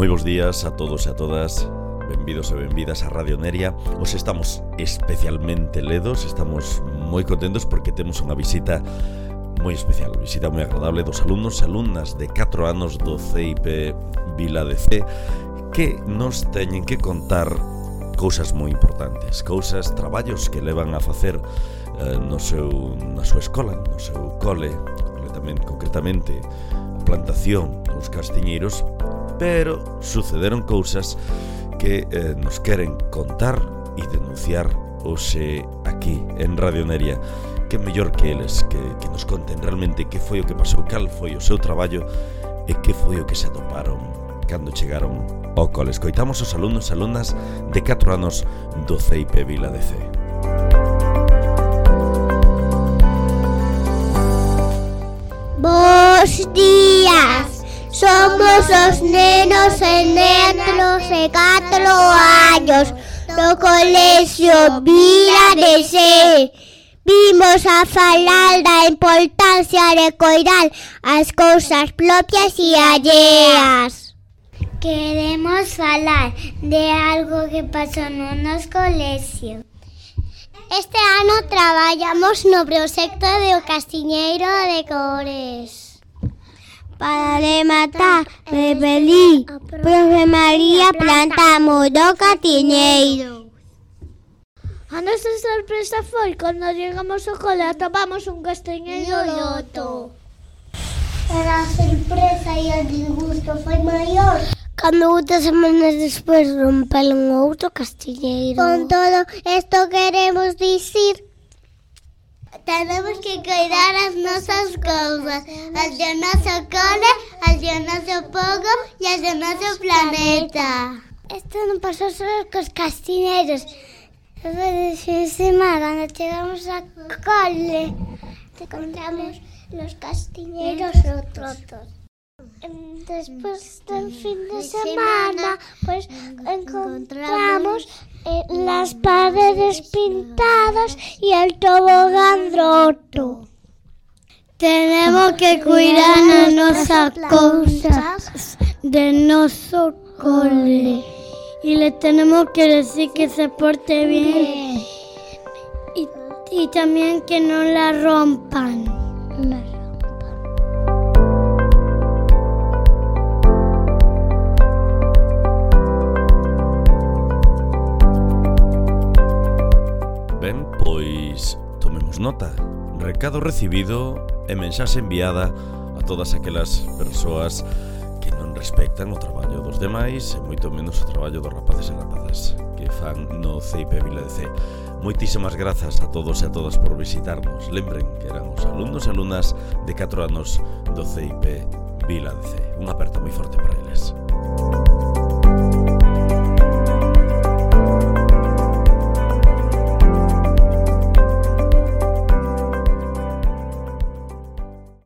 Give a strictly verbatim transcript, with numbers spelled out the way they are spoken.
Moi bons días a todos e a todas. Benvidos e benvidas a Radio Neria. Os estamos especialmente ledos, estamos moi contentos porque temos unha visita moi especial, visita moi agradable dos alumnos e alumnas de catro anos do C I P Vila de Cee, que nos teñen que contar cousas moi importantes, cousas, traballos que levan a facer eh, no seu, na súa escola, no seu cole, concretamente, concretamente a plantación dos castiñeiros, pero sucederon cousas que eh, nos queren contar e denunciar hoxe aquí en Radio Neria. Que mellor que eles que, que nos conten realmente que foi o que pasou, cal foi o seu traballo e que foi o que se atoparon cando chegaron ao cole. Escoitamos os alumnos e alumnas de catro anos do C I P Vila de Cee. Bos días, somos os nenos e nenos de catro anos do colexio Vila de Cee. Vimos a falar da importancia de coidar as cousas propias e alleas. Queremos falar de algo que pasou no noso colexio. Este ano traballamos no proxecto do castiñeiro de cores. Para rematar, me pedí, profe María, plantamos do castiñeiro. A nosa sorpresa foi cando chegamos ao cole atopamos un castiñeiro roto. Pero a sorpresa e o disgusto foi maior cando outras semanas despois romperon outro castiñeiro. Con todo isto queremos dicir, tenemos que cuidar as nosas cousas, as do noso cole, as do noso pogo e as do noso planeta. Isto non pasou só cos castiñeiros. De fin de semana, cando chegamos a cole, encontramos los castiñeiros rotos. Despois do fin de semana, pues encontramos eh, las paredes pintadas y el tobogán roto. Tenemos que cuidar as nosas cousas de noso cole. Y le tenemos que decir que se porte bien y, y también que no la rompan. No la rompan. Ben, pois tomemos nota. Recado recibido e mensaxe enviada a todas aquelas persoas que non respectan o traballo dos demais e moito menos o traballo dos rapaces e rapazas que fan no C I P Vila de Cee. Moitísimas grazas a todos e a todas por visitarnos. Lembren que eran os alumnos e alumnas de catro anos do C I P Vila de Cee. Un aperto moi forte para eles.